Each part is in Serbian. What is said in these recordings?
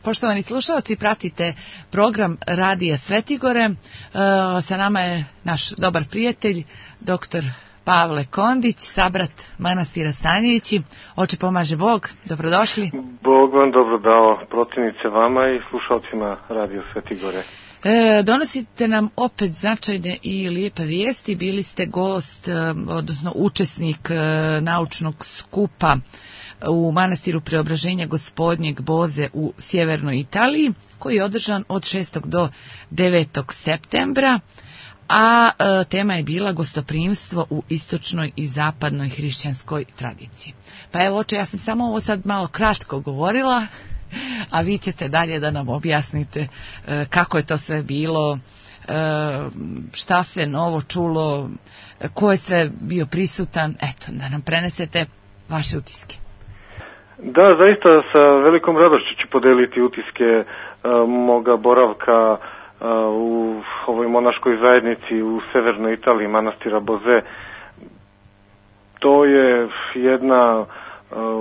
Poštovani slušalci, pratite program Radija Svetigore. Sa nama je naš dobar prijatelj, doktor Pavle Kondić, sabrat manastira Stanjevići. Oče pomaže Bog, dobrodošli. Bog vam dobro dao, protivnice vama i slušalcima Radio Svetigore. Donosite nam opet značajne i lijepe vijesti. Bili ste gost, odnosno učesnik naučnog skupa u manastiru Preobraženja Gospodnjeg Boze u sjevernoj Italiji, koji je održan od 6. do 9. septembra, a tema je bila gostoprimstvo u istočnoj i zapadnoj hrišćanskoj tradiciji. Pa evo, oče, ja sam samo ovo sad malo kratko govorila, a vi ćete dalje da nam objasnite kako je to sve bilo, šta se novo čulo, ko je sve bio prisutan, eto, da nam prenesete vaše utiske. Da, zaista sa velikom radošću ću podeliti utiske moga boravka u ovoj monaškoj zajednici u severnoj Italiji, manastira Boze. To je jedna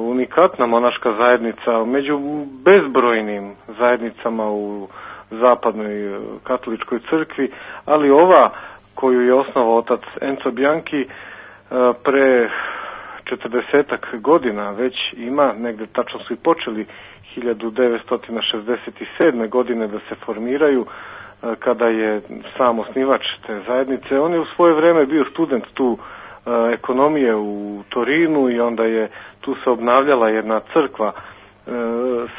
unikatna monaška zajednica među bezbrojnim zajednicama u zapadnoj katoličkoj crkvi, ali ova koju je osnovao otac Enzo Bianchi pre 40 godina već ima, negde tačno su i počeli 1967. godine da se formiraju, kada je sam osnivač te zajednice. On je u svoje vreme bio student tu ekonomije u Torinu i onda je tu se obnavljala jedna crkva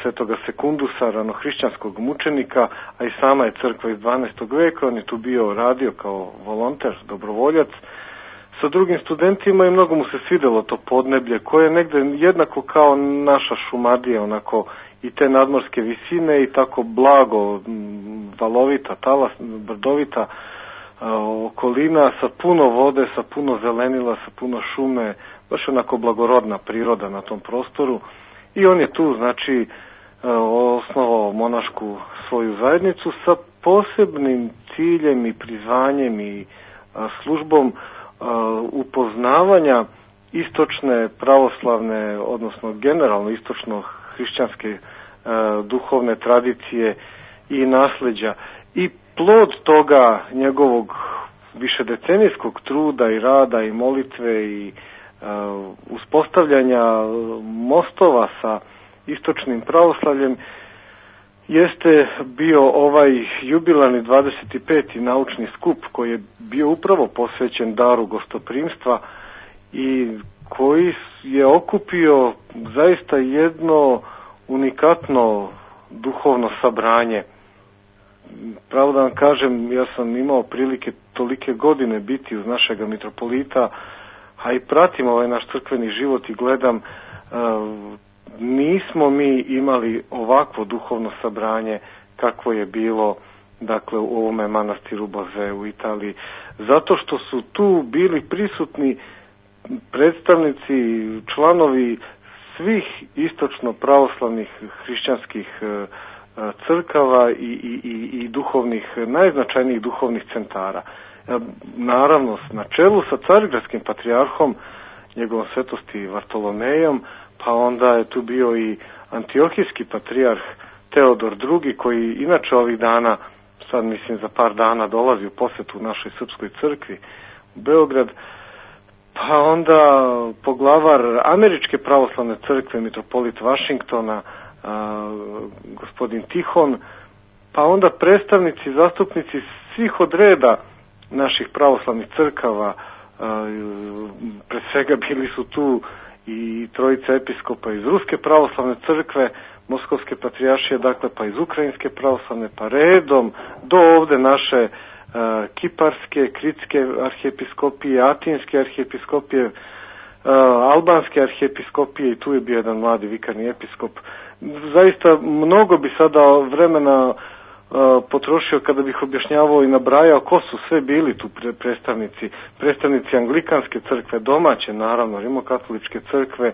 Svetoga Sekundusa, ranohrišćanskog mučenika, a i sama je crkva iz 12. veka. On je tu bio radio kao volonter, dobrovoljac sa drugim studentima i mnogo mu se svidelo to podneblje koje je negde jednako kao naša Šumadija, onako i te nadmorske visine i tako blago, valovita, brdovita okolina sa puno vode, sa puno zelenila, sa puno šume, baš onako blagorodna priroda na tom prostoru. I on je tu, znači, osnovao monašku svoju zajednicu sa posebnim ciljem i prizvanjem i službom upoznavanja istočne pravoslavne, odnosno generalno istočno hrišćanske duhovne tradicije i nasleđa. I plod toga njegovog višedecenijskog truda i rada i molitve i uspostavljanja mostova sa istočnim pravoslavljem jeste bio ovaj jubilarni 25. naučni skup koji je bio upravo posvećen daru gostoprimstva i koji je okupio zaista jedno unikatno duhovno sabranje. Pravo da vam kažem, ja sam imao prilike tolike godine biti uz našega mitropolita, a i pratim ovaj naš crkveni život i gledam, nismo mi imali ovakvo duhovno sabranje kakvo je bilo, dakle, u ovome manastiru Boze u Italiji, zato što su tu bili prisutni predstavnici, članovi svih istočno pravoslavnih hrišćanskih crkava i duhovnih, najznačajnijih duhovnih centara. Naravno, na čelu sa carigradskim patrijarhom, njegovom svetosti Vartolomejom, pa onda je tu bio i antiohijski patrijarh Teodor II, koji inače ovih dana, sad mislim za par dana, dolazi u posjetu našoj srpskoj crkvi u Beograd, pa onda poglavar Američke pravoslavne crkve, mitropolit Vašingtona, gospodin Tihon, pa onda predstavnici, zastupnici svih od reda naših pravoslavnih crkava, pre svega bili su tu i trojica episkopa iz Ruske pravoslavne crkve, Moskovske patrijaršije, dakle, pa iz Ukrajinske pravoslavne, pa redom do ovde naše Kiparske, Kritske arhijepiskopije, Atinske arhijepiskopije, Albanske arhijepiskopije i tu je bio jedan mladi vikarni episkop. Zaista mnogo bi sada vremena potrošio kada bih objašnjavao i nabrajao ko su sve bili tu predstavnici Anglikanske crkve, domaće naravno, rimokatoličke crkve,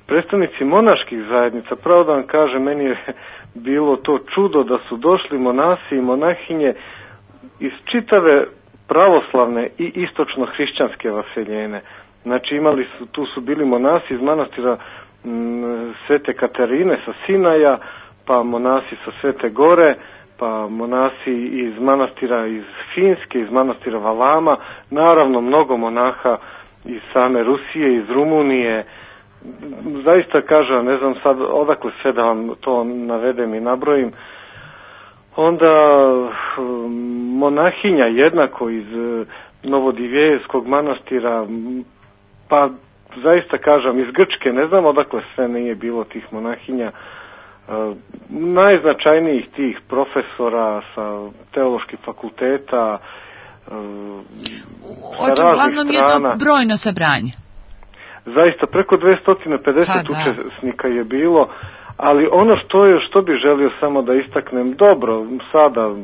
predstavnici monaških zajednica. Pravo da vam kažem, meni je bilo to čudo da su došli monasi i monahinje iz čitave pravoslavne i istočno hrišćanske vaseljene. Znači tu su bili monasi iz manastira Svete Katarine sa Sinaja, pa monasi sa Svete Gore, pa monasi iz manastira iz Finske, iz manastira Valama, naravno mnogo monaha iz same Rusije, iz Rumunije. Zaista kažem, ne znam sad odakle sve da vam to navedem i nabrojim. Onda monahinja jednako iz Novodivijevskog manastira, pa zaista kažem iz Grčke, ne znam odakle sve nije bilo tih monahinja, najznačajnijih tih profesora sa teoloških fakulteta, sa raznih strana. Jedno brojno sabranje. Zaista preko 250 učesnika je bilo, ali ono što bi želio samo da istaknem, dobro, sada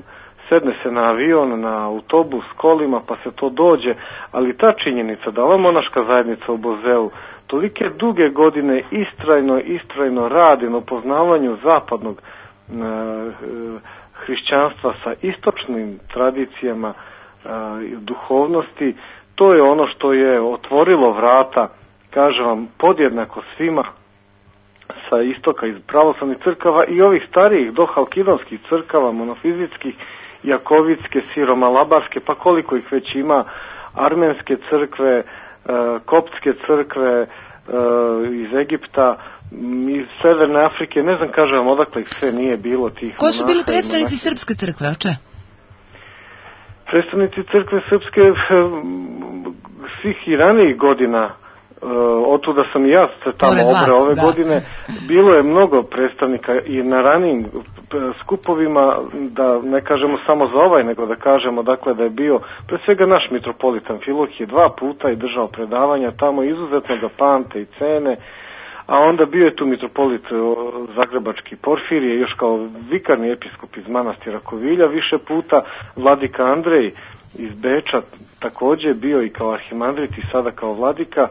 sedne se na avion, na autobus, kolima, pa se to dođe, ali ta činjenica da ova monaška zajednica u Bozeu tolike duge godine istrajno radi na upoznavanju zapadnog hrišćanstva sa istočnim tradicijama duhovnosti, to je ono što je otvorilo vrata, kažem vam, podjednako svima sa istoka iz pravoslavnih crkava i ovih starijih dohalkidonskih crkava, monofizitskih, jakovitske, siromalabarske, pa koliko ih već ima, armenske crkve, koptske crkve iz Egipta, iz Severne Afrike, ne znam, kažem vam, odakle ih sve nije bilo tih monaha. Ko su bili predstavnici srpske crkve, oče? Predstavnici crkve srpske svih i ranijih godina, otuda sam i ja se tamo obreo ove godine, bilo je mnogo predstavnika i na ranijim skupovima, da ne kažemo samo za ovaj, nego da kažemo dakle da je bio pre svega naš mitropolit Amfilohije 2 puta i držao predavanja tamo, izuzetno ga pamte i cene, a onda bio je tu mitropolit Zagrebački Porfirije, još kao vikarni episkop iz manastira Kovilja više puta, vladika Andrej iz Beča također bio i kao arhimandrit i sada kao vladika,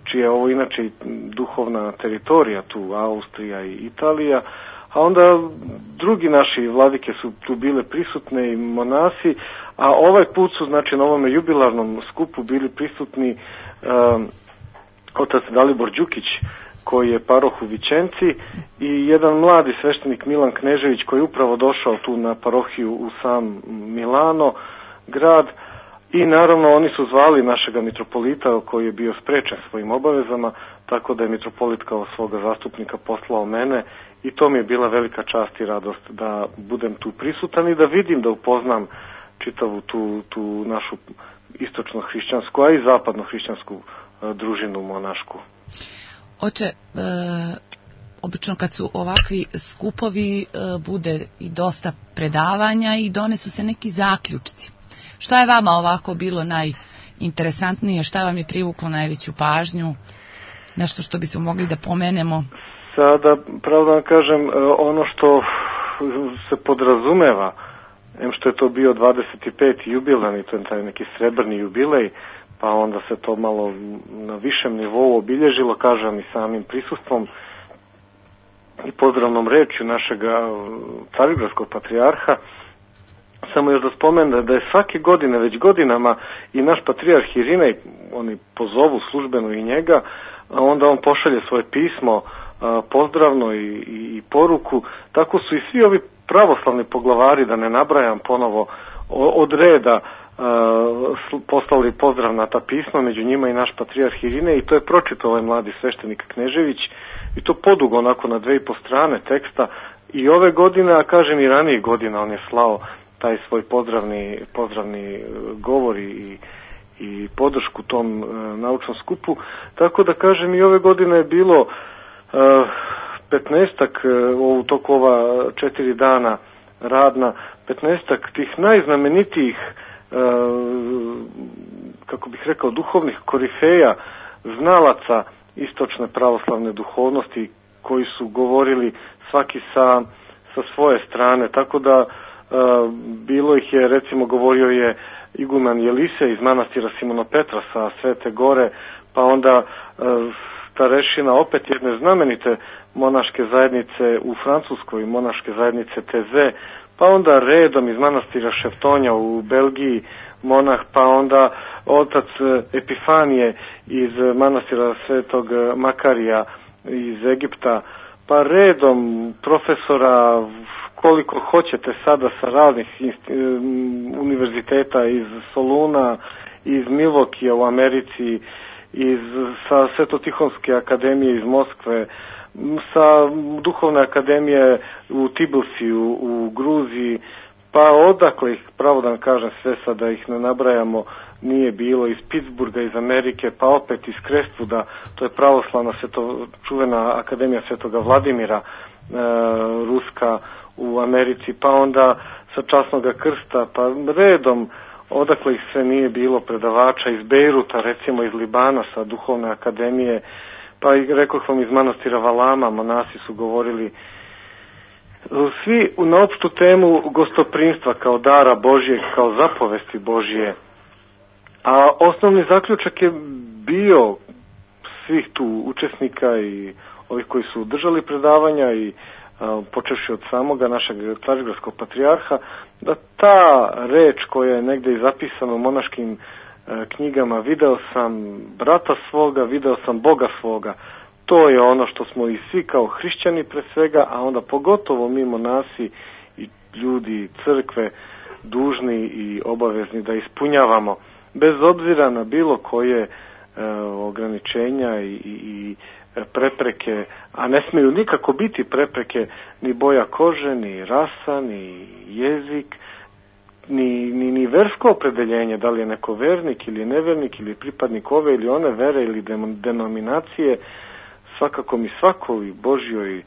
čija je ovo inače duhovna teritorija tu, Austrija i Italija, a onda drugi naši vladike su tu bile prisutne i monasi, a ovaj put su, znači, na ovome jubilarnom skupu bili prisutni otac Dalibor Đukić, koji je paroh u Vičenci, i jedan mladi sveštenik Milan Knežević, koji je upravo došao tu na parohiju u sam Milano, grad. I naravno oni su zvali našega mitropolita koji je bio sprečen svojim obavezama, tako da je mitropolit kao svoga zastupnika poslao mene i to mi je bila velika čast i radost da budem tu prisutan i da vidim, da upoznam čitavu tu našu istočno-hrišćansku, a i zapadno-hrišćansku družinu monašku. Oče, obično kad su ovakvi skupovi bude i dosta predavanja i donesu se neki zaključci. Šta je vama ovako bilo najinteresantnije, šta vam je privuklo najveću pažnju, nešto što bismo mogli da pomenemo? Sada, pravo da vam kažem, ono što se podrazumeva, što je to bio 25. jubilej, to je taj neki srebrni jubilej, pa onda se to malo na višem nivou obilježilo, kažem, i samim prisustvom i pozdravnom rečju našega carigradskog patrijarha. Samo još da spomenem da je svake godine, već godinama, i naš patrijarh Irinej, oni pozovu službeno i njega, a onda on pošalje svoje pismo pozdravno i poruku. Tako su i svi ovi pravoslavni poglavari, da ne nabrajam ponovo, od reda poslali pozdrav na ta pisma, među njima i naš patrijarh Irinej, i to je pročitao ovaj mladi sveštenik Knežević, i to podugo, onako na 2,5 strane teksta, i ove godine, a kažem i ranijih godina, on je slao taj svoj pozdravni govor i podršku tom naučnom skupu. Tako da kažem, i ove godine je bilo 15-ak u toku ova 4 dana radna, 15-ak tih najznamenitijih, kako bih rekao, duhovnih korifeja, znalaca istočne pravoslavne duhovnosti, koji su govorili svaki sa svoje strane, tako da bilo ih je, recimo govorio je iguman Jelise iz manastira Simona Petra sa Svete Gore, pa onda starešina opet jedne znamenite monaške zajednice u Francuskoj, monaške zajednice Teze, pa onda redom iz manastira Šeftonja u Belgiji monah, pa onda otac Epifanije iz manastira Svetog Makarija iz Egipta, pa pa redom profesora koliko hoćete sada sa raznih univerziteta iz Soluna, iz Milvokija u Americi, sa Svetotihonske akademije iz Moskve, sa Duhovne akademije u Tbilisiju, u Gruziji, pa odakle ih, pravo da vam kažem sve sad da ih ne nabrajamo, nije bilo, iz Pittsburgha, iz Amerike, pa opet iz Crestwooda, to je pravoslavna čuvena akademija Svetoga Vladimira, ruska u Americi, pa onda sa Časnoga krsta, pa redom odakle ih sve nije bilo predavača, iz Bejruta, recimo iz Libana sa Duhovne akademije, pa i rekoh vam iz manastira Valama, monasi su govorili svi na opštu temu gostoprimstva kao dara Božjeg, kao zapovesti Božje. A osnovni zaključak je bio svih tu učesnika i ovih koji su držali predavanja i počevši od samoga našeg Carigrskog patrijarha, da ta reč koja je negde i zapisana u monaškim knjigama, video sam brata svoga, video sam Boga svoga, to je ono što smo i svi kao hrišćani pre svega, a onda pogotovo mi monasi i ljudi crkve dužni i obavezni da ispunjavamo, bez obzira na bilo koje ograničenja i prepreke, a ne smiju nikako biti prepreke ni boja kože, ni rasa, ni jezik, ni versko opredeljenje, da li je neko vernik ili nevernik ili pripadnik ove ili one vere ili denominacije. Svakako mi svakoj Božjoj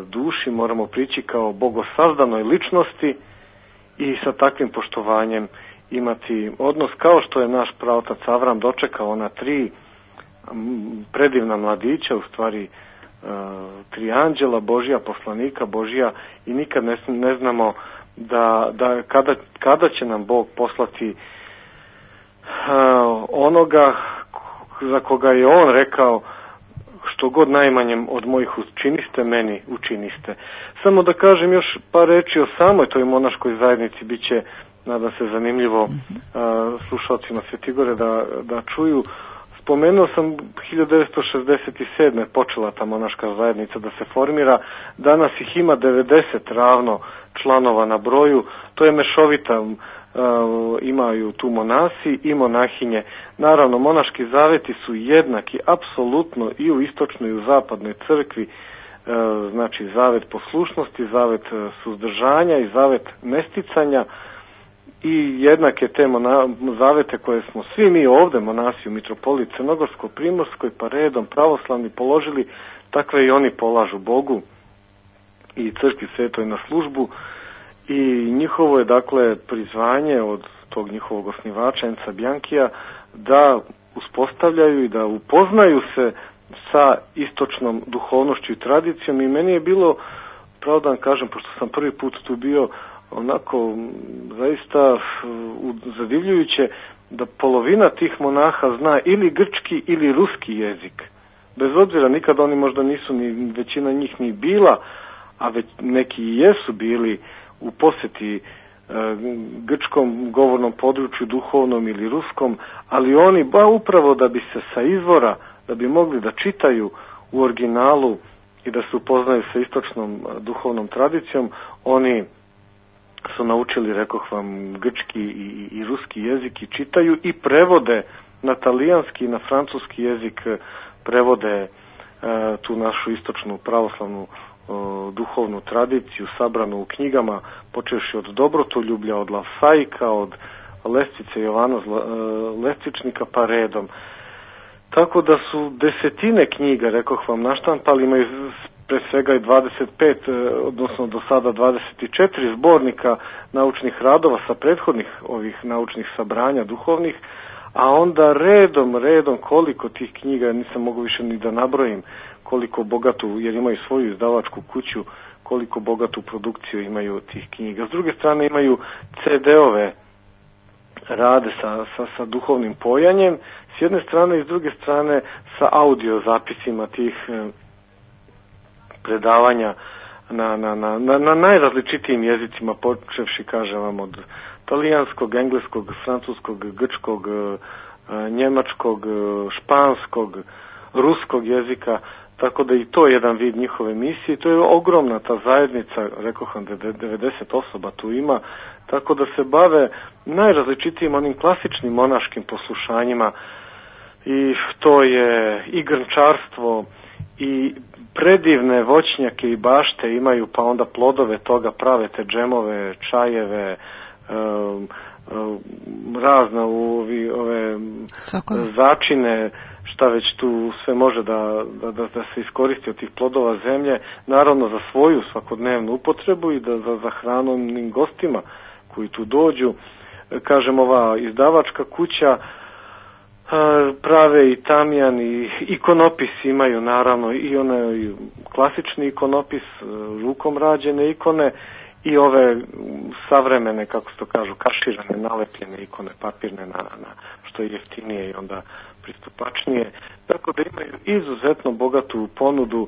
duši moramo prići kao bogosazdanoj ličnosti i sa takvim poštovanjem imati odnos, kao što je naš praotac Avram dočekao ona 3 predivna mladića, u stvari 3 anđela Božja, poslanika Božja, i nikad ne znamo da kada će nam Bog poslati onoga za koga je on rekao, što god najmanjem od mojih učiniste, meni učiniste. Samo da kažem još par reči o samoj toj monaškoj zajednici, bit će, nadam se, zanimljivo slušalcima Svetigore da čuju. Spomenuo sam 1967. počela ta monaška zajednica da se formira, danas ih ima 90 ravno članova na broju, to je mešovita, imaju tu monasi i monahinje. Naravno, monaški zaveti su jednaki apsolutno i u istočnoj i u zapadnoj crkvi, znači zavet poslušnosti, zavet suzdržanja i zavet nesticanja, i jednake te zavete koje smo svi mi ovde, monasi u Mitropoliji Crnogorsko-Primorskoj, pa redom pravoslavni položili, takve i oni polažu Bogu i crkvi svetoj na službu, i njihovo je dakle prizvanje od tog njihovog osnivača Enca Bianchija da uspostavljaju i da upoznaju se sa istočnom duhovnošću i tradicijom, i meni je bilo, pravo da vam kažem, pošto sam prvi put tu bio, onako zaista zadivljujuće da polovina tih monaha zna ili grčki ili ruski jezik. Bez obzira, nikad oni možda nisu, ni većina njih ni bila, a već neki i jesu bili u poseti grčkom govornom području, duhovnom ili ruskom, ali oni upravo da bi se sa izvora, da bi mogli da čitaju u originalu i da se upoznaju sa istočnom duhovnom tradicijom, oni su naučili, rekoh vam, grčki i ruski jezik i čitaju i prevode na talijanski i na francuski jezik, prevode tu našu istočnu pravoslavnu duhovnu tradiciju sabranu u knjigama, počevši od Dobrotoljublja, od Lavsaika, od Lescice Jovana Lescičnika, pa redom. Tako da su desetine knjiga, rekoh vam, naštampali, imaju pre svega i 25, odnosno do sada 24 zbornika naučnih radova sa prethodnih ovih naučnih sabranja duhovnih, a onda redom koliko tih knjiga, nisam mogu više ni da nabrojim, koliko bogatu, jer imaju svoju izdavačku kuću, koliko bogatu produkciju imaju tih knjiga. S druge strane imaju CD-ove rade sa duhovnim pojanjem, s jedne strane, i s druge strane sa audio zapisima tih predavanja na najrazličitijim jezicima, počevši, kažem vam, od talijanskog, engleskog, francuskog, grčkog, njemačkog, španskog, ruskog jezika, tako da i to je jedan vid njihove misije. To je ogromna ta zajednica, rekoh vam 90 osoba tu ima, tako da se bave najrazličitijim onim klasičnim monaškim poslušanjima, i to je i grnčarstvo i predivne voćnjake i bašte imaju, pa onda plodove toga prave, te džemove, čajeve, razne ove začine, šta već tu sve može da se iskoristi od tih plodova zemlje, naravno za svoju svakodnevnu upotrebu i za hranom gostima koji tu dođu. Kažem, ova izdavačka kuća prave i tamjan i ikonopis imaju, naravno i onaj klasični ikonopis, rukom rađene ikone, i ove savremene, kako se to kažu, kaširane, nalepljene ikone, papirne, na što je jeftinije i onda pristupačnije. Tako da imaju izuzetno bogatu ponudu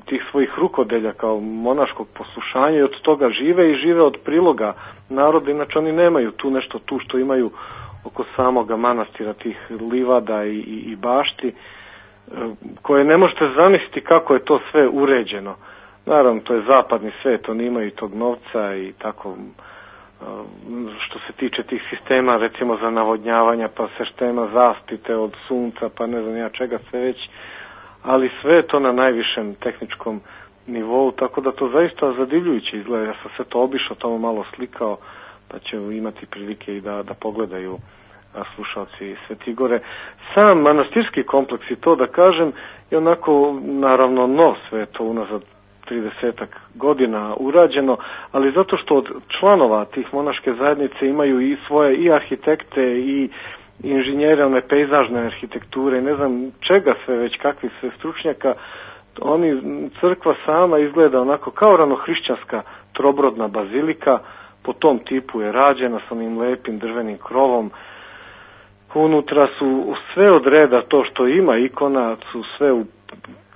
tih svojih rukodelja kao monaškog poslušanja, i od toga žive od priloga naroda. Inače oni nemaju tu nešto tu što imaju oko samoga manastira, tih livada i bašti, koje ne možete zamisliti kako je to sve uređeno. Naravno, to je zapadni svijet, oni imaju tog novca i tako, što se tiče tih sistema, recimo za navodnjavanja, pa sistema zaštite od sunca, pa ne znam ja čega sve već, ali sve je to na najvišem tehničkom nivou, tako da to zaista zadivljujuće izgleda. Ja sam sve to obišao, tamo malo slikao, pa će imati prilike i da pogledaju slušalci Svete Igore. Sam manastirski kompleks, i to da kažem, je onako, naravno, nov, sve je to unazad 30 godina urađeno, ali zato što od članova tih monaške zajednice imaju i svoje i arhitekte i inženjere one pejzažne arhitekture, ne znam čega sve već, kakvih sve stručnjaka, crkva sama izgleda onako kao ranohrišćanska trobrodna bazilika, po tom tipu je rađena sa onim lepim drvenim krovom. Unutra su sve od reda, to što ima ikona, su sve u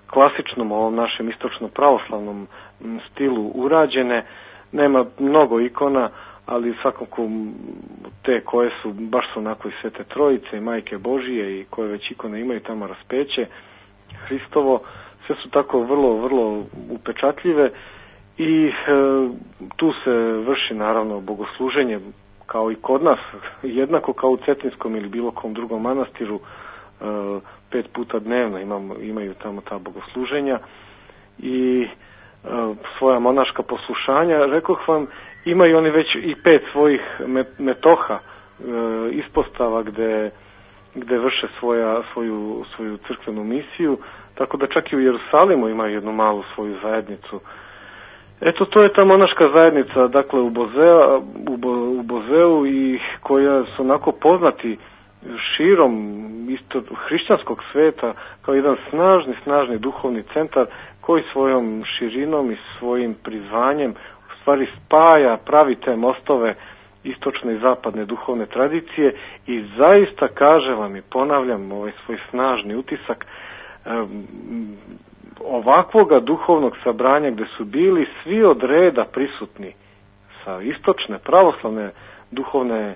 klasičnom ovom našem istočno-pravoslavnom stilu urađene. Nema mnogo ikona, ali svakako te koje su, baš su onako i Svete Trojice i Majke Božije i koje već ikone imaju tamo raspeće Hristovo, sve su tako vrlo, vrlo upečatljive i tu se vrši naravno bogosluženje kao i kod nas, jednako kao u Cetinskom ili bilo kom drugom manastiru, 5 puta dnevno imaju tamo ta bogosluženja i svoja monaška poslušanja. Rekoh vam, imaju oni već i 5 svojih metoha, ispostava gde vrše svoju crkvenu misiju, tako da čak i u Jerusalimu imaju jednu malu svoju zajednicu. Eto, to je ta monaška zajednica, dakle u Bozeu, i koja su onako poznati širom hrišćanskog sveta kao jedan snažni duhovni centar koji svojom širinom i svojim prizvanjem u stvari spaja, pravi te mostove istočne i zapadne duhovne tradicije, i zaista, kažem vam i ponavljam ovaj svoj snažni utisak, ovakvoga duhovnog sabranja gde su bili svi od reda prisutni sa istočne pravoslavne duhovne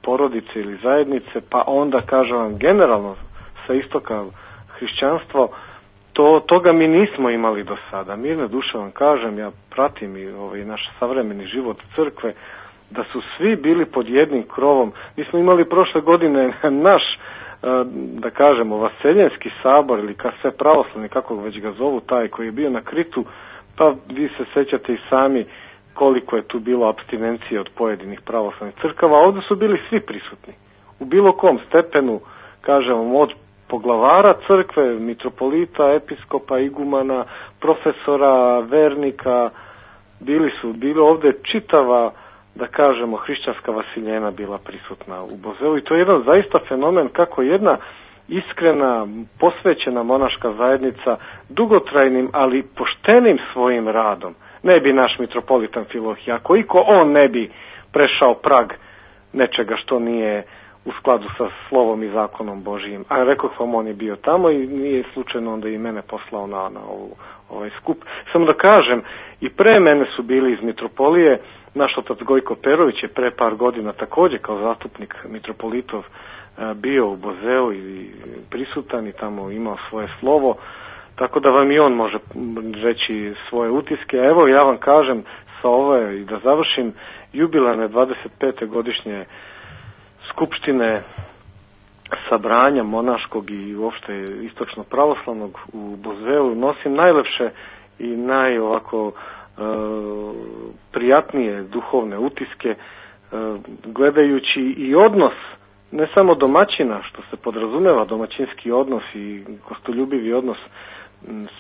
porodice ili zajednice, pa onda, kažem vam, generalno sa istoka hrišćanstvo, toga mi nismo imali do sada. Mirne duše vam kažem, ja pratim i naš savremeni život crkve, da su svi bili pod jednim krovom. Mi smo imali prošle godine naš, da kažemo, vaseljenski sabor, ili sve pravoslavni, kako već ga zovu, taj koji je bio na Kritu, pa vi se sećate i sami koliko je tu bilo apstinencije od pojedinih pravoslavnih crkava. Ovdje su bili svi prisutni, u bilo kom stepenu, kažemo, od poglavara crkve, mitropolita, episkopa, igumana, profesora, vernika, bili ovdje čitava, da kažemo, hrišćanska vasiljena bila prisutna u Bozeu, i to je jedan zaista fenomen kako jedna iskrena, posvećena monaška zajednica dugotrajnim, ali poštenim svojim radom. Ne bi naš mitropolit Amfilohije, ako on ne bi prešao prag nečega što nije u skladu sa slovom i zakonom Božijim. A rekoh vam, on je bio tamo i nije slučajno onda i mene poslao na ovaj skup. Samo da kažem, i pre mene su bili iz mitropolije. Naš otac Gojko Perović je pre par godina također kao zastupnik mitropolitov bio u Bozeu i prisutan i tamo imao svoje slovo, tako da vam i on može reći svoje utiske. A evo ja vam kažem sa ove, i da završim, jubilarne 25. godišnje skupštine sabranja monaškog i uopšte istočno pravoslavnog u Bozeu nosim najlepše i najovako prijatnije duhovne utiske, gledajući i odnos ne samo domaćina, što se podrazumeva domaćinski odnos i gostoljubivi odnos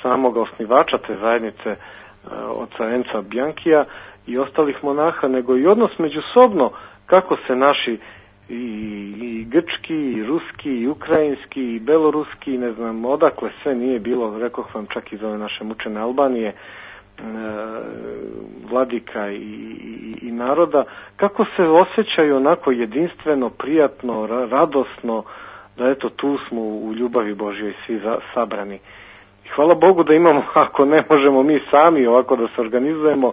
samog osnivača te zajednice, oca Enca Bjankija i ostalih monaha, nego i odnos međusobno kako se naši i grčki, i ruski, i ukrajinski, i beloruski, ne znam odakle sve nije bilo, rekoh vam čak iz ove naše mučene Albanije, vladika i naroda, kako se osjećaju onako jedinstveno, prijatno, radosno, da eto tu smo u ljubavi Božjoj svi sabrani. I hvala Bogu da imamo, ako ne možemo mi sami ovako da se organizujemo,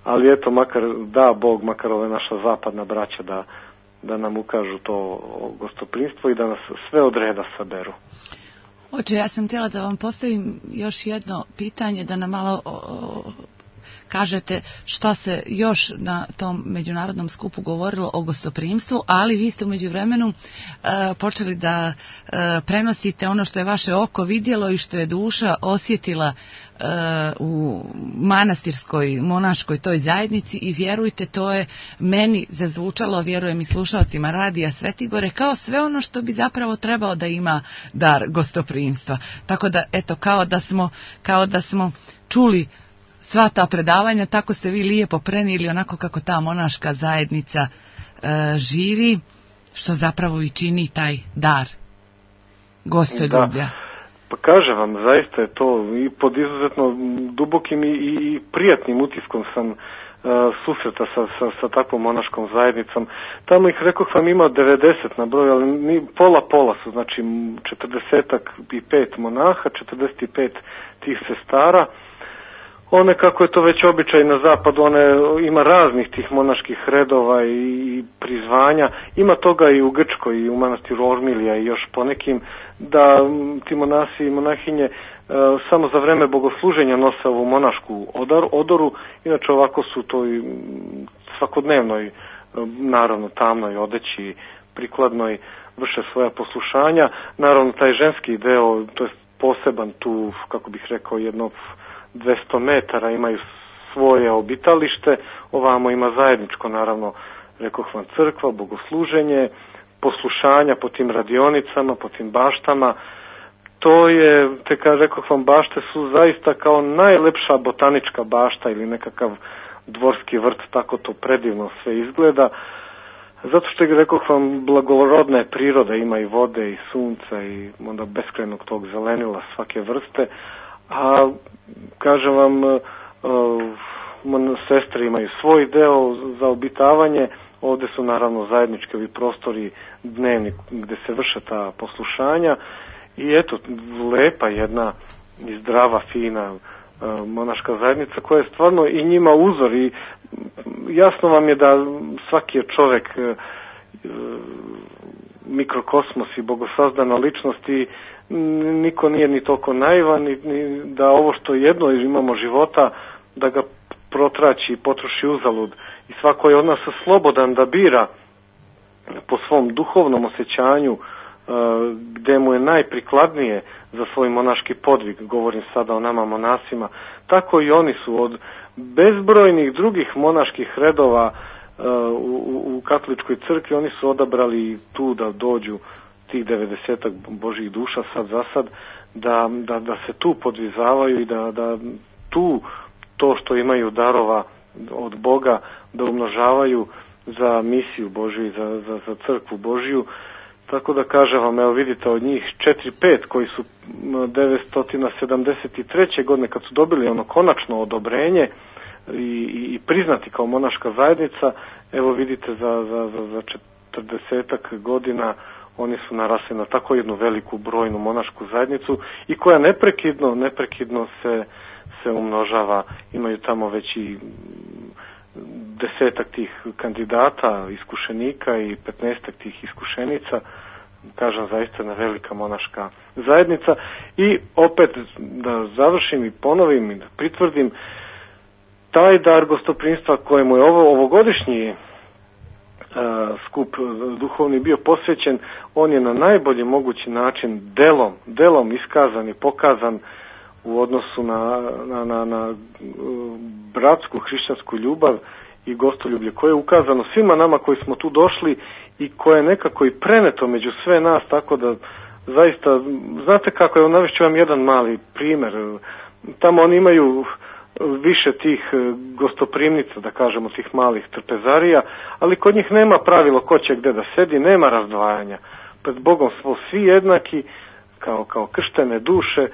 ali eto makar da Bog, makar ove naša zapadna braća da nam ukažu to gostoprimstvo i da nas sve od reda saberu. Oče, ja sam htjela da vam postavim još jedno pitanje, da nam malo kažete šta se još na tom međunarodnom skupu govorilo o gostoprimstvu, ali vi ste u međuvremenu počeli da prenosite ono što je vaše oko vidjelo i što je duša osjetila u manastirskoj, monaškoj toj zajednici, i vjerujte, to je meni zazvučalo, vjerujem i slušalcima radija Svetigore, kao sve ono što bi zapravo trebao da ima dar gostoprimstva. Tako da, eto, kao da smo čuli sva ta predavanja, tako ste vi lijepo prenijeli onako kako ta monaška zajednica živi, što zapravo i čini taj dar gostoljublja. Pa kažem vam, zaista je to i pod izuzetno dubokim i prijatnim utiskom sam susreta sa takvom monaškom zajednicom. Tamo ih, rekoh vam, ima 90 na broju, ali pola su, znači 45 monaha, 45 tih sestara. One, kako je to već običaj na zapadu, ima raznih tih monaških redova i prizvanja. Ima toga i u Grčkoj, i u manastiru Ormilija i još ponekim, da ti monasi i monahinje samo za vreme bogosluženja nose ovu monašku odoru. Inače ovako su to i svakodnevnoj, naravno tamnoj odeći, prikladnoj, vrše svoja poslušanja. Naravno taj ženski deo, to je poseban tu, kako bih rekao, jedno 200 metara imaju svoje obitalište, ovamo ima zajedničko, naravno, rekoh vam, crkva, bogosluženje, poslušanja po tim radionicama, po tim baštama. To je, rekoh vam, bašte su zaista kao najlepša botanička bašta ili nekakav dvorski vrt, tako to predivno sve izgleda. Zato što je, rekoh vam, blagorodna je priroda, ima i vode i sunca i onda beskrajnog tog zelenila svake vrste. A kažem vam, sestre imaju svoj deo za obitavanje, ovdje su naravno zajednički ovi prostori dnevni gdje se vrše ta poslušanja i eto, lepa jedna i zdrava, fina monaška zajednica koja je stvarno i njima uzor i jasno vam je da svaki je čovjek mikrokosmos i bogosazdana ličnost i niko nije ni toliko naivan ni da ovo što jedno imamo života da ga protraći i potroši uzalud i svako je od nas slobodan da bira po svom duhovnom osjećanju gdje mu je najprikladnije za svoj monaški podvig, govorim sada o nama monasima, tako i oni su od bezbrojnih drugih monaških redova u katoličkoj crkvi, oni su odabrali tu da dođu tih 90 Božjih duša sad za sad, da se tu podvizavaju i da tu to što imaju darova od Boga da umnožavaju za misiju Božju i za crkvu Božju. Tako da kažem vam, evo vidite, od njih 4-5 koji su 973. godine kad su dobili ono konačno odobrenje i priznati kao monaška zajednica, evo vidite za 40 godina oni su narasli na tako jednu veliku brojnu monašku zajednicu i koja neprekidno se umnožava. Imaju tamo već i 10 tih kandidata, iskušenika i 15 tih iskušenica kažem, zaista jedna velika monaška zajednica. I opet da završim i ponovim i da pritvrdim, taj dar gostoprimstva kojemu je ovogodišnji skup duhovni bio posvećen, on je na najbolji mogući način delom iskazan i pokazan u odnosu na bratsku hrišćansku ljubav i gostoljublje koje je ukazano svima nama koji smo tu došli i koje je nekako i preneto među sve nas, tako da zaista, znate kako je, navešću vam jedan mali primer. Tamo oni imaju više tih gostoprimnica, da kažemo, tih malih trpezarija, ali kod njih nema pravilo ko će gde da sedi, nema razdvajanja. Pred Bogom smo svi jednaki, kao krštene duše,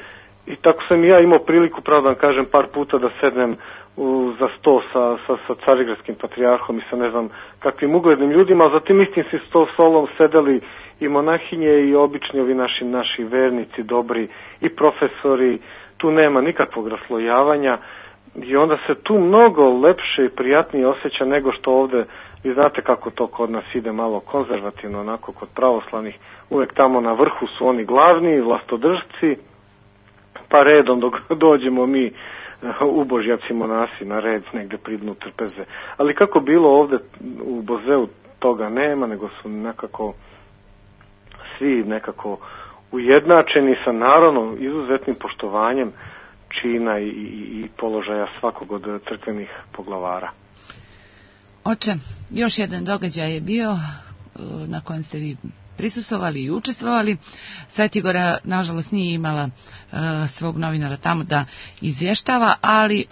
i tako sam i ja imao priliku, pravo da vam kažem, par puta da sednem za sto sa carigradskim patrijarhom i sa ne znam kakvim uglednim ljudima, a za tim istim si stolom sedeli i monahinje i obični ovi naši vernici dobri i profesori. Tu nema nikakvog raslojavanja i onda se tu mnogo lepše i prijatnije osjeća nego što ovde. Vi znate kako to kod nas ide malo konzervativno, onako kod pravoslavnih, uvek tamo na vrhu su oni glavni vlastodržci, pa redom dok dođemo mi ubožjaci monasi na red negde pridnu trpeze. Ali kako bilo ovde u Bozeu toga nema, nego su nekako svi nekako ujednačeni sa naravno izuzetnim poštovanjem čina i položaja svakog od crkvenih poglavara. Oče, još jedan događaj je bio na kojem ste vi prisustvovali i učestvovali. Svetigora, nažalost, nije imala svog novinara tamo da izvještava, ali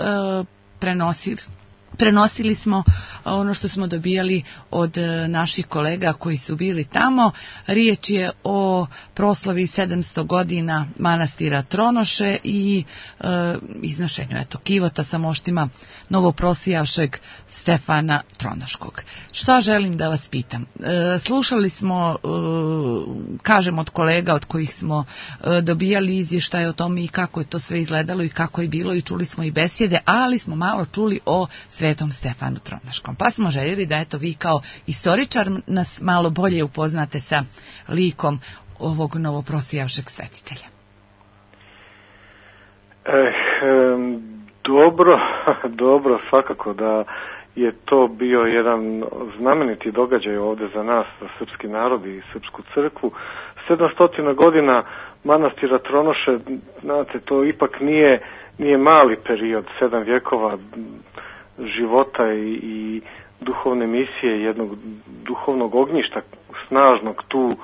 prenosili smo ono što smo dobijali od naših kolega koji su bili tamo. Riječ je o proslavi 700 godina manastira Tronoše i iznošenju kivota sa moštima novoprosijavšeg Stefana Tronoškog. Šta želim da vas pitam? Slušali smo, kažem, od kolega od kojih smo dobijali izvještaje o tome i kako je to sve izgledalo i kako je bilo, i čuli smo i besjede, ali smo malo čuli o Svetom Stefanu Tronoškom. Pa smo željeli da vi kao istoričar nas malo bolje upoznate sa likom ovog novoprosijavšeg svetitelja. Dobro, svakako da je to bio jedan znameniti događaj ovde za nas, za srpski narod i srpsku crkvu. 700 godina manastira Tronoše, znate, to ipak nije mali period, 7 vjekova života i duhovne misije, jednog duhovnog ognjišta snažnog tu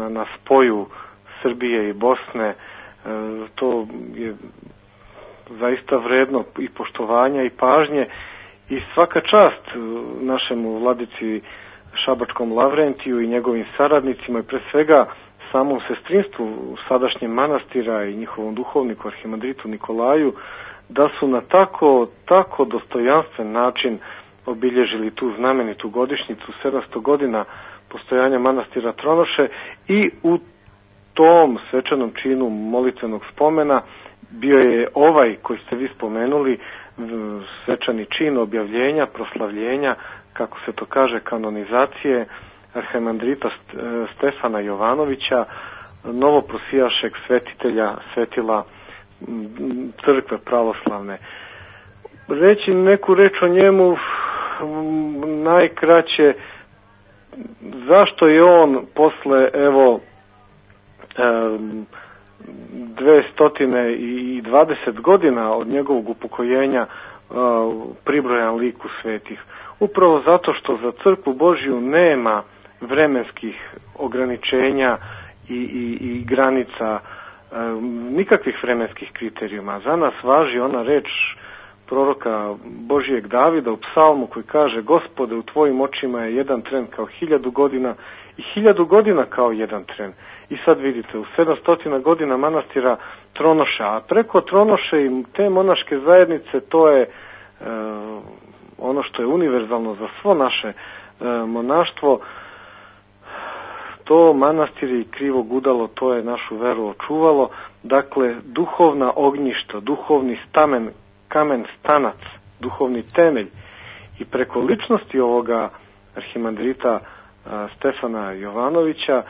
na spoju Srbije i Bosne. To je zaista vredno i poštovanja i pažnje i svaka čast našemu vladici Šabačkom Lavrentiju i njegovim saradnicima i pre svega samom sestrinstvu sadašnjem manastira i njihovom duhovniku arhimandritu Nikolaju, da su na tako dostojanstven način obilježili tu znamenitu godišnjicu 700 godina postojanja manastira Tronoše i u tom svečanom činu molitvenog spomena bio je ovaj koji ste vi spomenuli, svečani čin objavljenja, proslavljenja, kako se to kaže, kanonizacije arhimandrita Stefana Jovanovića, novoprosijašeg svetitelja, svetila crkve pravoslavne. Reći neku reč o njemu, najkraće, zašto je on posle 220 godina od njegovog upokojenja pribrojan liku svetih? Upravo zato što za crkvu Božju nema vremenskih ograničenja i granica, nikakvih vremenskih kriterijuma. Za nas važi ona reč proroka Božijeg Davida u psalmu koji kaže: Gospode, u tvojim očima je jedan tren kao 1000 godina i 1000 godina kao jedan tren. I sad vidite, u 700 godina manastira Tronoša, a preko Tronoše i te monaške zajednice, to je ono što je univerzalno za svo naše monaštvo. To manastir i krivo gudalo, to je našu veru očuvalo. Dakle, duhovna ognjišta, duhovni kamen stanac, duhovni temelj. I preko ličnosti ovoga arhimandrita Stefana Jovanovića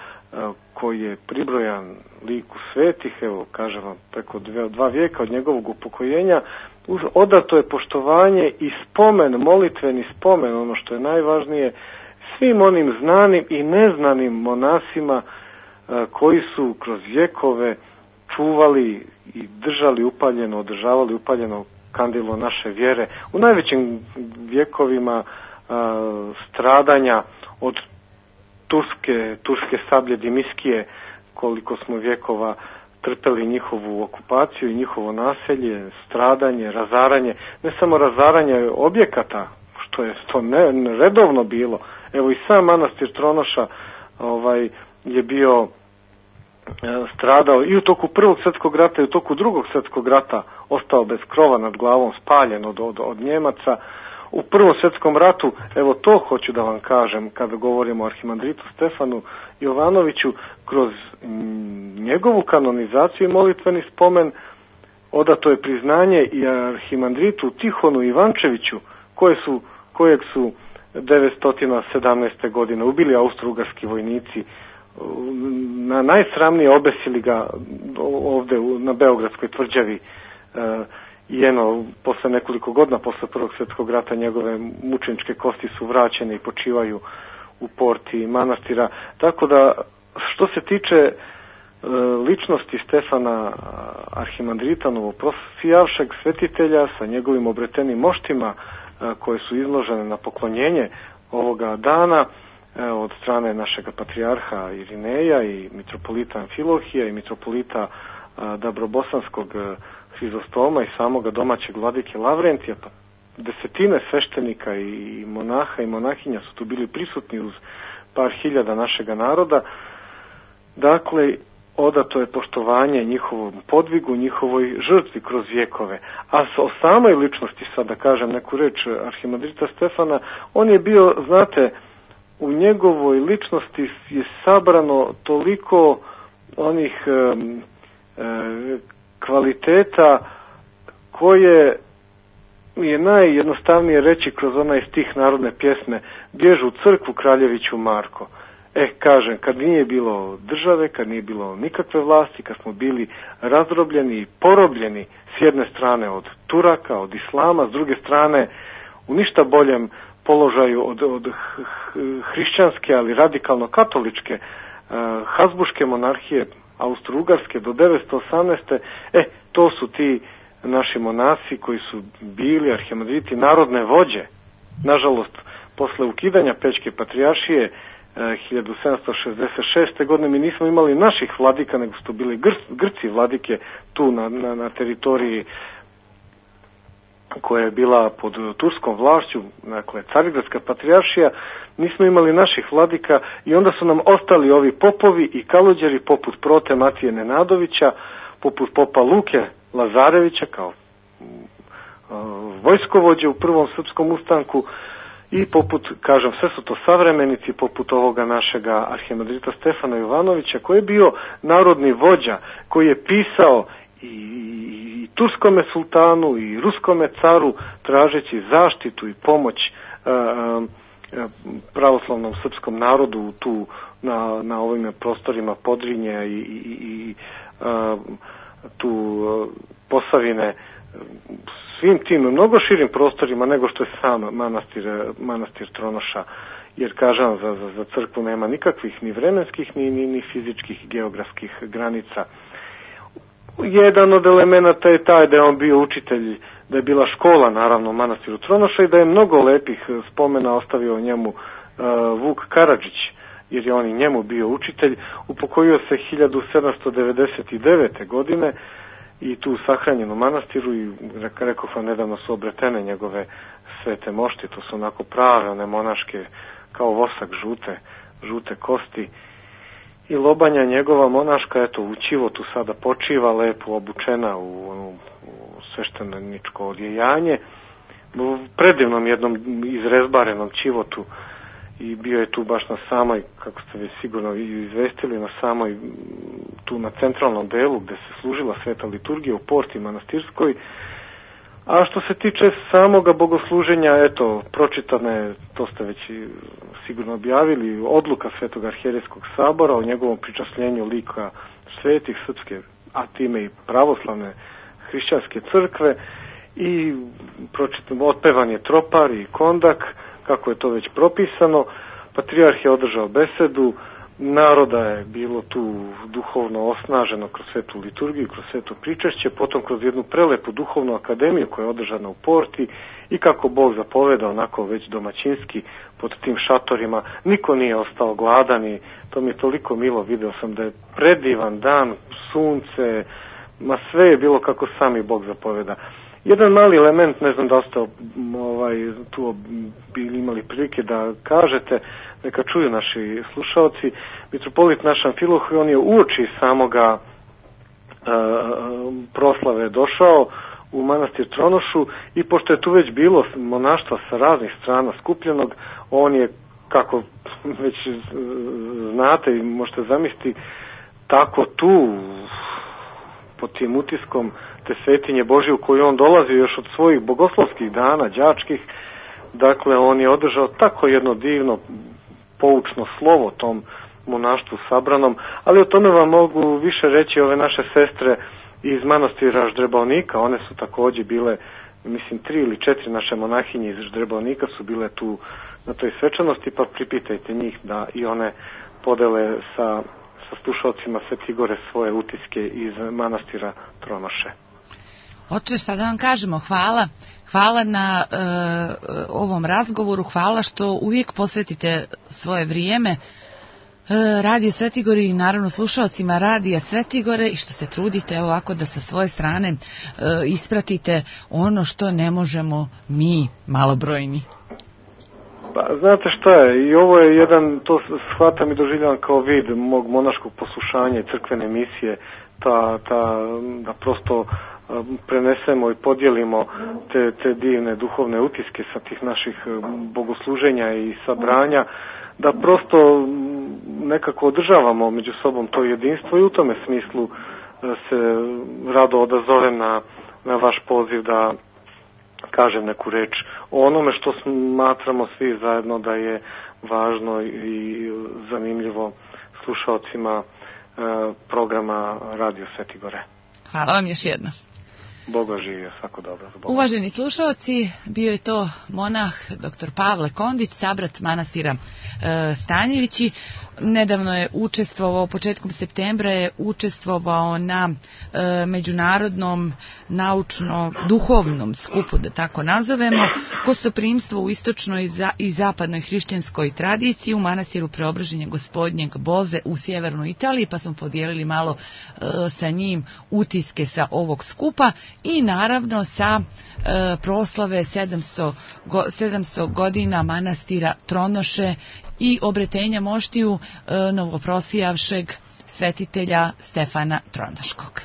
koji je pribrojan liku svetih, evo kažem vam, preko 2 vijeka od njegovog upokojenja, odato je poštovanje i spomen, molitveni spomen, ono što je najvažnije, svim onim znanim i neznanim monasima koji su kroz vjekove čuvali i držali upaljeno, održavali upaljeno kandilo naše vjere u najvećim vjekovima stradanja od turske sablje Dimiskije, koliko smo vjekova trpeli njihovu okupaciju i njihovo naselje, stradanje, razaranje, ne samo razaranje objekata, što je to redovno bilo. Evo i sam manastir Tronoša je bio stradao i u toku Prvog svjetskog rata i u toku Drugog svjetskog rata, ostao bez krova nad glavom, spaljen od Njemaca. U Prvom svjetskom ratu, evo to hoću da vam kažem kada govorimo o arhimandritu Stefanu Jovanoviću, kroz njegovu kanonizaciju i molitveni spomen odato je priznanje i arhimandritu Tihonu Ivančeviću, kojeg su 917. godine ubili austrougarski vojnici, najsramnije obesili ga ovdje na Beogradskoj tvrđavi, i posle nekoliko godina, posle Prvog svjetskog rata, njegove mučeničke kosti su vraćene i počivaju u porti manastira. Tako da, što se tiče ličnosti Stefana arhimandrita novoprosijavšeg svetitelja sa njegovim obretenim moštima koje su izložene na poklonjenje ovoga dana od strane našeg patrijarha Irineja i mitropolita Amfilohija i mitropolita Dabrobosanskog Hrizostoma i samoga domaćeg vladike Lavrentija, pa desetine sveštenika i monaha i monahinja su tu bili prisutni uz par hiljada našega naroda. Dakle, odato je poštovanje njihovom podvigu, njihovoj žrtvi kroz vjekove. A o samoj ličnosti, sad da kažem neku reč arhimandrita Stefana, on je bio, znate, u njegovoj ličnosti je sabrano toliko onih kvaliteta koje je najjednostavnije reći kroz onaj stih narodne pjesme "Bježu u crkvu kraljeviću Marko". Kažem, kad nije bilo države, kad nije bilo nikakve vlasti, kad smo bili razdrobljeni i porobljeni s jedne strane od Turaka, od Islama, s druge strane u ništa boljem položaju od hrišćanske, ali radikalno katoličke Habsburške monarhije Austrougarske do 918. To su ti naši monasi koji su bili arhimandriti, narodne vođe. Nažalost, posle ukidanja Pećke patrijaršije 1766. godine mi nismo imali naših vladika, nego su to bili Grci vladike tu na teritoriji koja je bila pod turskom vlašću, dakle Carigradska patrijaršija. Nismo imali naših vladika i onda su nam ostali ovi popovi i kaluđeri poput prote Matije Nenadovića, poput popa Luke Lazarevića kao vojskovođe u prvom srpskom ustanku i poput, kažem, sve su to savremenici, poput ovoga našega arhimandrita Stefana Jovanovića, koji je bio narodni vođa, koji je pisao i turskome sultanu i ruskome caru tražeći zaštitu i pomoć pravoslavnom srpskom narodu tu na ovim prostorima Podrinja i tu Posavine, svim tim mnogo širim prostorima nego što je sam manastir Tronoša, jer kažem, za crkvu nema nikakvih ni vremenskih ni fizičkih geografskih granica. Jedan od elemenata je taj da je on bio učitelj, da je bila škola naravno u manastiru Tronoša i da je mnogo lepih spomena ostavio o njemu Vuk Karadžić, jer je on i njemu bio učitelj. Upokojio se 1799. godine i tu sahranjen u manastiru i rekao sam, nedavno su obretene njegove svete mošti, to su onako prave, one monaške, kao vosak žute kosti. I Lobanja, njegova monaška, eto, u Čivotu sada počiva, lepo obučena u svešteničko odjejanje, u predivnom jednom izrezbarenom Čivotu, i bio je tu baš na samoj, kako ste vi sigurno izvestili, na samoj, tu na centralnom delu gde se služila sveta liturgija u porti manastirskoj, A što se tiče samoga bogosluženja, eto, pročitane, to ste već sigurno objavili, odluka Svetog arhijerejskog sabora o njegovom pričasljenju lika svetih srpske, a time i pravoslavne hrišćanske crkve, i otpevan je tropar i kondak, kako je to već propisano. Patrijarh je održao besedu, naroda je bilo tu duhovno osnaženo kroz svetu liturgiju, kroz sveto pričašće, potom kroz jednu prelepu duhovnu akademiju koja je održana u Porti, i kako Bog zapoveda, onako već domaćinski pod tim šatorima, niko nije ostao gladan i to mi je toliko milo, video sam da je predivan dan, sunce, ma sve je bilo kako sami Bog zapoveda. Jedan mali element, ne znam da ste tu bili imali prilike da kažete, neka čuju naši slušalci, mitropolit naš Amfilohije, on je uoči samoga proslave došao u manastir Tronošu, i pošto je tu već bilo monaštva sa raznih strana skupljenog, on je, kako već znate i možete zamisliti, tako tu pod tim utiskom te svetinje Božje u koju on dolazi još od svojih bogoslovskih dana, đačkih, dakle on je održao tako jedno divno poučno slovo tom monaštvu sabranom, ali o tome vam mogu više reći ove naše sestre iz manastira Ždrebavnika. One su također bile, mislim 3 ili 4 naše monahinje iz Ždrebavnika su bile tu na toj svečanosti, pa pripitajte njih da i one podele sa slušalcima Svete Igore svoje utiske iz manastira Tronoše. Oče, šta da vam kažemo, hvala na ovom razgovoru, hvala što uvijek posvetite svoje vrijeme Radio Svetigori i naravno slušalcima Radija Svetigore, i što se trudite ovako da sa svoje strane ispratite ono što ne možemo mi malobrojni. Pa, znate šta je, i ovo je jedan, to shvatam i doživljavam kao vid mog monaškog poslušanja i crkvene misije, da prosto prenesemo i podijelimo te divne duhovne utiske sa tih naših bogosluženja i sabranja, da prosto nekako održavamo među sobom to jedinstvo, i u tome smislu se rado odazovem na vaš poziv da kažem neku reč o onome što smatramo svi zajedno da je važno i zanimljivo slušalcima programa Radio Svetigore. Hvala vam još jedno. Boga živio, svako dobro. Uvaženi slušalci, bio je to monah dr. Pavle Kondić, sabrat manastira Stanjevići. Nedavno je učestvovao, početkom septembra je učestvovao na međunarodnom naučno-duhovnom skupu, da tako nazovemo, gostoprimstvo u istočnoj i zapadnoj hrišćanskoj tradiciji u manastiru Preobraženja Gospodnjeg Boze u sjevernoj Italiji, pa smo podijelili malo sa njim utiske sa ovog skupa i naravno sa proslave 700 godina manastira Tronoše i obretenja moštiju novoprosijavšeg svetitelja Stefana Tronoškog.